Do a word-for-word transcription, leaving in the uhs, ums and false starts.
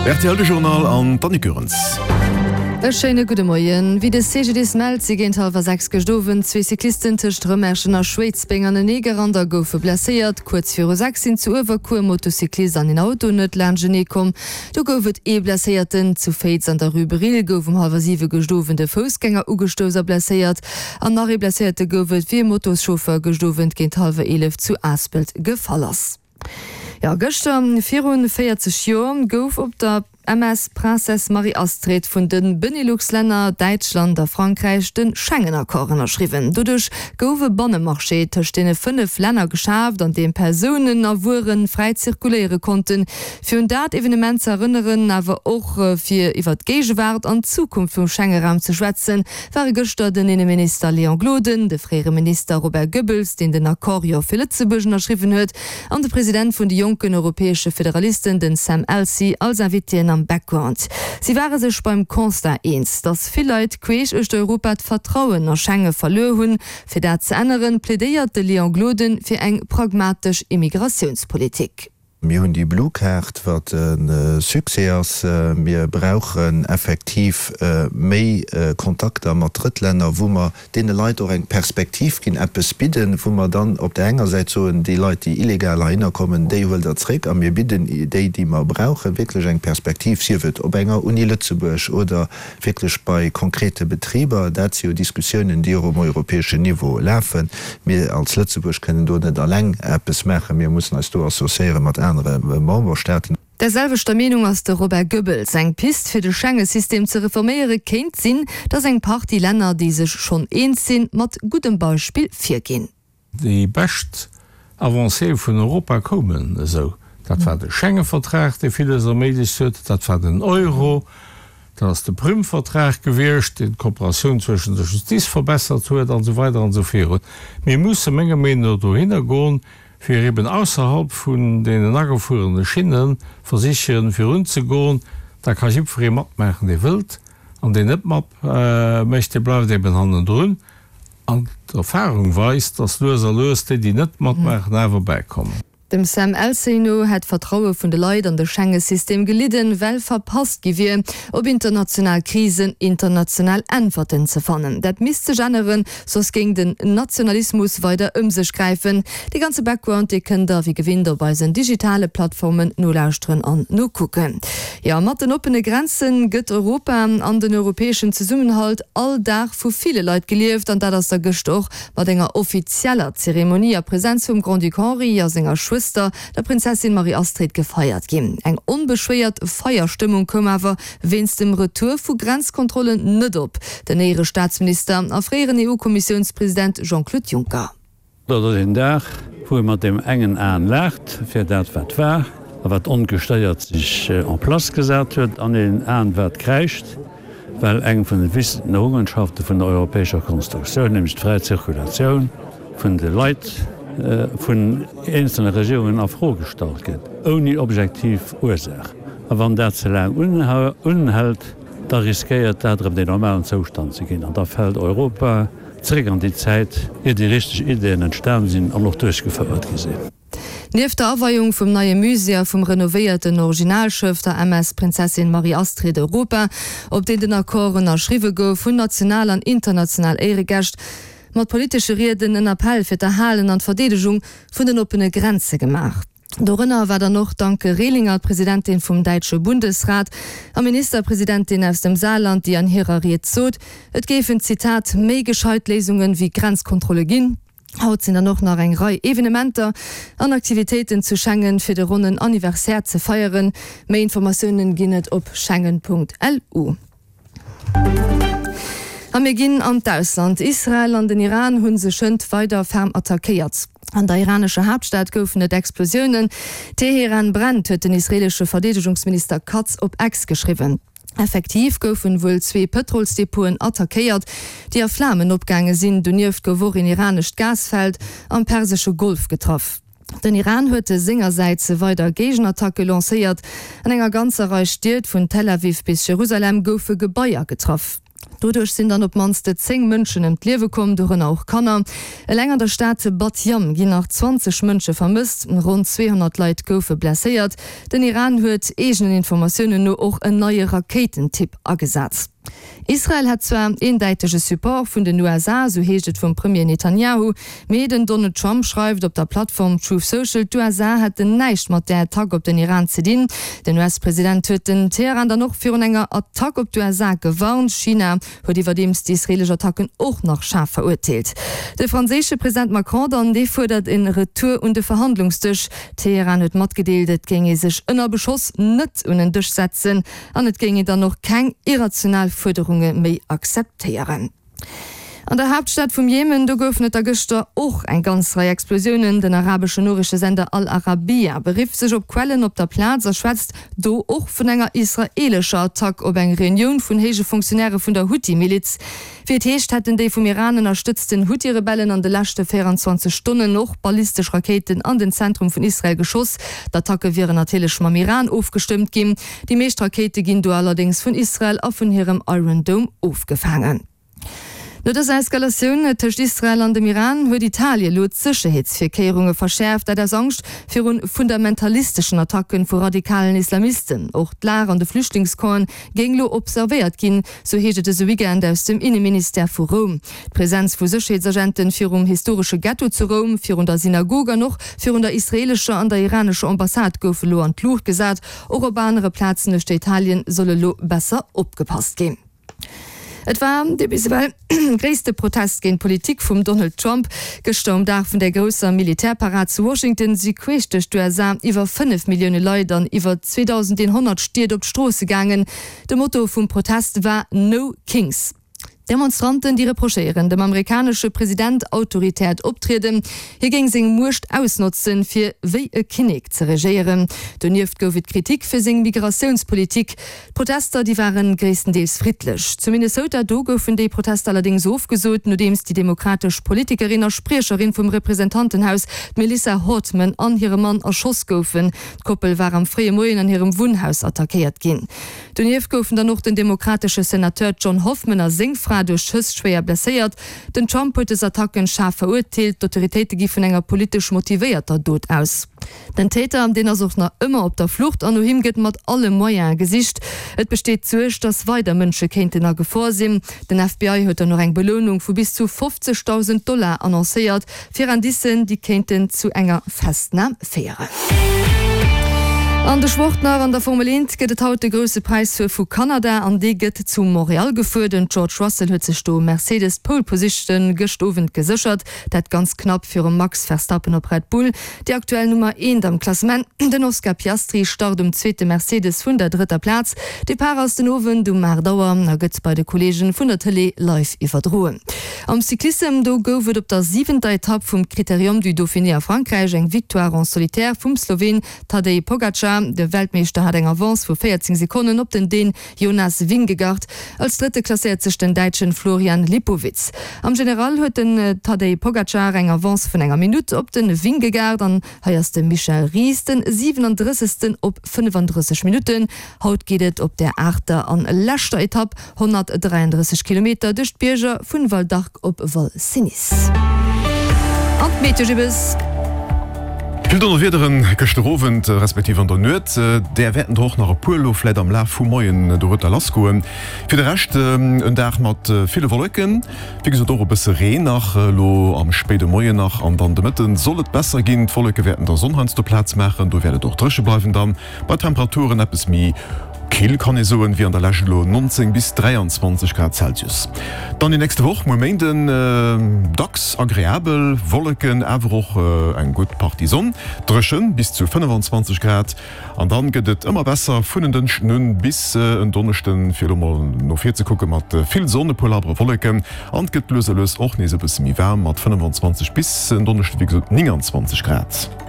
Rtl de Journal an d'Annick Goerens. E schéine gudde Moien. Wéi de C G D I S mellt, si géint hallwer sechs gëscht Owend zwee Cyclisten tëscht Rëmerschen a Schwéidsbeng anenee gerannt a goufe blesséiert. Kuerz viru sechs sinn zu Uewerkuer e Motocyclist an een Auto net laanschtenee komm. Do gouf et ee Blesséierten. Zu Féiz an der Rue Brill gouf um hallwer siwe gëscht Owend e Foussgänger ugestouss a blesséiert. An nach ee Blesséierte gouf et, wéi e Motoschauffeur gëscht Owend géint hallwer eelef zu Aspelt gefall ass. Jo, gëschter virun véierzeg Joer gouf op der M S Princesse Marie-Astrid vun de Benelux-Länner, Däitschland a Frankräich de Schengen-Accord ënnerschriwwen. Doduerch gouf e Bannemarché tëscht deene fënnef Länner geschaaft, an deem Persounen a Wuere fräi zirkuléiere konnten. Fir un dat Evenement ze erënneren, awer och fir iwwer d'Géigewaart an d'Zukunft vum Schengeraum ze schwätzen, ware gëschter den Inneminister Léon Gloden, de fréiere Minister Robert Goebbels, deen den Accord jo fir Lëtzebuerg ënnerschriwwen huet, an de President vun de jonken europäesche Federalisten, den Sam Elsey, als Invitéen am Background. Si ware sech beim Constat eens, datt vill Leit queesch uechter Europa d'Vertrauen a Schenge verluer hunn. Fir dat ze änneren, plädéiert de Léon Gloden fir eng pragmatesch Immigratiounspolitik. Mir hunn déi Blue Card, wat e Succès ass. Mir brauchen effektiv méi Kontakter mat Drëttlänner, wou mer deene Leit och eng Perspektiv ginn, eppes bidden, wou mer dann op där enger Säit soen, déi Leit, déi illegal heihinner kommen, déi huelt Der zréck a mir bidden déi, déi mer brauchen, wierklech eng Perspektiv, sief et op enger Uni Lëtzebuerg oder wierklech bei konkrete Betriber. Dat si jo Diskussiounen, déi och um europäeschen Niveau lafen. Mir als Lëtzebuerg kënnen do net alleng eppes maachen. Mir mussen eis do associéiere mat anere Memberstaaten. Der selwechter Meenung ass de Robert Goebbels. Eng Pist fir de Schengesystem ze reforméiere kéint sinn, datt eng Partie Länner, déi sech schonn eens sinn, mat guddem Beispill virginn. Déi bescht Avancéë vun Europa koumen esou. Dat war de Schengevertrag, dee villes erméiglecht huet, dat war den Euro, dat ass de Prüm-Vertrag gewiescht, deen d'Kooperatioun zwëschen der Justiz verbessert huet, an esou weider an esou virun. Mir musse menger Meenung no dohinner goen, fir eben ausserhalb vun deenen agefuerene Schinne versichen virunzegoen. Da ka jiddweree matmaachen, dee wëllt, an deen net matmécht, dee bleift eben hannendrun. An d'Erfahrung weist, dass lues a lues déi, déi net matmaachen, awer bäikommen. Dem Sam Elsey no hätt d'Vertraue vun de Leit an de Schengesystem gelidden, well verpasst gi wier, op international Krisen international Äntwerten ze fannen. Dat misst sech änneren, soss géing den Nationalismus weider ëm sech gräifen. Dee ganze Background, dee kënnt der wéi gewinnt op eisen digitale Plattformen nolauschteren an nokucken. Jo, mat den oppene Grenze gëtt Europa an den europäeschen Zesummenhalt all Dag vu ville Leit gelieft an dat ass da gëscht och mat enger offizieller Zeremonie a Presenz vum Grand-Duc Henri a senger Schwëster, der Prinzessin Marie-Astrid, gefeiert ginn. Eng onbeschwéiert Feierstëmmung koum awer wéinst dem Retour vu Grenzkontrollen net op. Den Éierestaatsminister a fréieren E U-Kommissiounspresident Jean-Claude Juncker. Dat ass een Dag, wou ee mat deem engen Aen laacht fir dat wat war a wat ongestéiert sech en place gesat huet, an een Aen wat kräischt, well eng vun de wichtegsten Errungenschafte vun der europäescher Konstruktioun, nämlech d'fräi Zirkulatioun vun de Leit, vun eenzelne Regierungen a Fro gestallt gëtt, ouni objektiv Ursaach. A wann dat ze laang unhält, da riskéiert dat erëm den normalen Zoustand ze ginn an da fält Europa zeréck an déi Zäit, ier déi richteg Ideeën entstan sinn an och duerchgefouert gi sinn. Nieft der Aweiung vum neie Musée a vum renovéierten Originalschëff, der M S Prinzessin Marie-Astrid Europa, op deem den Accord ënnerschriwwe gouf, hunn national an international Éieregäscht mat politesche Rieden en Appell fir d'Erhalen an d'Verdeedegung vun den oppene Grenze gemaach. Dorënner war dann och d'Anke Rehlinger, d'Presidentin vum däitsche Bundesrat a Ministerpresidentin aus dem Saarland, déi an hirer Ried sot, et géifen, Zitat, méi gescheit Léisunge wéi Grenzkontrolle ginn. Haut sinn dann och nach eng Rei Evenementer an Aktivitéiten zu Schengen fir de ronnen Anniversaire ze feieren. Méi Informatiounen ginn et op schengen Punkt L U. A mir ginn an d'Ausland. Israel an den Iran hu sech hënt weider ferm attackéiert. An der iranescher Haaptstad goufen et Explosiounen. Teheran brennt, huet den israeelesche Verdeedegungsminister Katz op X geschriwwen. Effektiv goufen wuel zwee Pëtrolsdepoten attackéiert, déi a Flamen opgaange sinn. Donieft gouf och een iranescht Gasfeld am Persesche Golf getraff. Den Iran huet sengersäits weider Géigenattacke lancéiert. An enger ganzer Rei Stied vun Tel Aviv bis Jerusalem goufe Gebaier getraff. Doduerch sinn dann op d'mannst zéng Mënschen ëm d'Liewe komm, dorënner och Kanner. Eleng an der Stad Bat Yam ginn nach zwanzeg Mënsche vermësst, ronn zweehonnert Leit goufe blesséiert. Den Iran huet eegenen Informatiounen no och en neie Rakéitentyp agesat. Israel hätt zwar eendäitege Support vun den U S A, sou heescht et vum Premier Netanjahu, mee den Donald Trump schreift op der Plattform Truth Social, d'U S A hätten näischt mat där Attack op den Iran ze dinn. Den U S-President huet den Teheran dann och virun enger Attack op d'U S A gewarnt. China huet iwwerdeems d'israeelesch Attacken och nach schaarf verurteelt. De franséische President Macron dann, dee fuerdert e Retour un de Verhandlungsdësch. Teheran huet matgedeelt, et géing ee sech ënner Beschoss net un en Dësch setzen an et géing een dann och keng irrational Fuerderunge méi akzeptéieren. An der Haaptstad vum Jemen, do goufen et da gëschter och eng ganz Rei Explosiounen. Den arabeschen Noriichtesender Al-Arabiya berifft sech op Quellen op der Plaz a schwätzt do och vun enger israeelescher Attack op eng Reunioun vun héije Fonctionnairë vun der Huthi-Miliz. Wéi et heescht, hätten déi vum Iran ënnerstëtzten Huthi-Rebellen an de leschte véierundzwanzeg Stonnen och ballistesch Rakéiten an den Zentrum vun Israel geschoss. D'Attacke wieren natierlech mam Iran ofgestëmmt ginn. Déi meescht Rakéite ginn do allerdéngs vun Israel a vun hirem Iron Dome ofgefaangen. No dëser Eskalatioun tëscht Israel an dem Iran huet Italie elo d'Sécherheetsvirkéierunge verschäerft, dat aus Angscht virun fundamentalisteschen Attacken vu radikalen Islamisten. Och d'Lag an de Flüchtlingscampen géing elo observéiert ginn, sou heescht et dëse Weekend aus dem Inneministère vu Roum. D'Presenz vu Sécherheetsagenten virum historesche Ghetto zu Roum, virun der Synagog an och virun der israeelescher an der iranescher Ambassade gouf elo an d'Luucht gesat. Och op anere Plazen uechter Italien soll elo besser opgepasst ginn. Et war dee bis ewell gréisste Protest géint d'Politik vum Donald Trump. Gëschter um Dag vun der grousser Militärparad zu Washington si queesch duerch d'U S A iwwer fënnef Millioune Leit an iwwer zweedausendeenhonnert Stied op d'Stroosse gaangen. De Motto vum Protest war No Kings. D'Demonstranten, déi reprochéieren dem amerikanesche President autoritäert Optrieden, hie géing seng Muecht ausnotzen, fir wéi e Kinnek ze regéieren. Donieft gouf et Kritik fir seng Migratiounspolitik. D'Protester, déi ware gréisstendeels friddlech. Zu Minnesota, do goufen déi Protester allerdéngs ofgesot, nodeems déi demokratesch Politikerin a Spriecherin vum Representantenhaus, d'Melissa Hortman, an hire Mann erschoss goufen. D'Koppel war am fréie Moien an hirem Wunnhaus attackéiert ginn. Donieft goufen dann och den demokratesche Senateur John Hoffman a seng Fra duerch Schëss schwéier blesséiert. Den Trump huet dës Attacken schaarf verurteelt, d'Autoritéite gi vun enger politesch motivéierter Dot aus. Den Täter, deen ass och nach ëmmer op der Flucht an no him gëtt mat alle Moyene gesicht. Et besteet d'Suerg, datt weider Mënsche kéinten a Gefor sinn. Den F B I huet dann och eng Belounung vu bis zu fofzegdausend Dollar annoncéiert, fir Indicen, déi kéinten zu enger Festnam féieren. An de Sport nach, An der Formel eent gëtt et haut de Grousse Präis vu Kanada an dee gëtt zu Montréal gefuer. Den George Russell huet sech do Mercedes d'Pole Position gëscht Owend geséchert, dat ganz knapp virum Max Verstappen op Red Bull, déi aktuell Nummer eent am Klassement. Den Oscar Piastri start um zweete Mercedes vun der drëtter Plaz. Depart ass den Owend um aacht Auer a gëtt bei de Kolleegen vun der Tëlee live iwwerdroen. Am Cyclissem, do gouf et op der siwenter Etapp vum Critérium du Dauphiné a Frankräich eng Victoire en solitaire vum Sloween Tadej Pogacar. De Weltmeeschter hat eng Avance vu véierzéng Sekonnen op den Dän Jonas Vingegaard. Als Drëtte klasséiert sech den Däitschen Florian Lipowitz. Am General huet den Tadej Pogacar eng Avance vun enger Minutt op de Vingegaard an hei ass de Michel Ries den siwenendrëssegsten op fënnefandrësseg Minutten. Haut geet et op der aachter an leschter Etapp honnertdräiandrësseg Kilometer duerch d'Bierger vun Val d'Arc op Val Cenis. An d'Meteo Gibbes. Vill Donnerwiederen gëschter Owend respektiv an der Nuet, där wäerten der och nach e puer elo vläit am Laf vum Moien dorueter lassgoen. Fir de Rescht en Dag mat ville Wolleken, wéi gesot och e bësse Reen nach elo am spéide Moien nach an dann de Mëtten soll et besser ginn. D'Wolleke wäerten der Sonn heiansdo Plaz maachen, do wäert et och dréche bleiwen dann bei Temperaturen eppes méi kill, kann ee soen, wéi an der Lescht elo, neunzéng bis dräianzwanzeg Grad Celsius. Dann déi nächste Woch, muer Méinden, dacks agreabel, Wolleken, awer och eng gutt Partie Sonn, dréchen, bis zu fënnefanzwanzeg Grad. An dann gëtt et ëmmer besser vun en Dënschden un bis en Donneschden, fir elo mol no vir ze kucken, mat vill Sonn, e puer labbere Wolleken an et gëtt lues a lues och nees e bësse méi waarm mat fënnefanzwanzeg bis en Donneschden, wéi gesot, nénganzwanzeg Grad.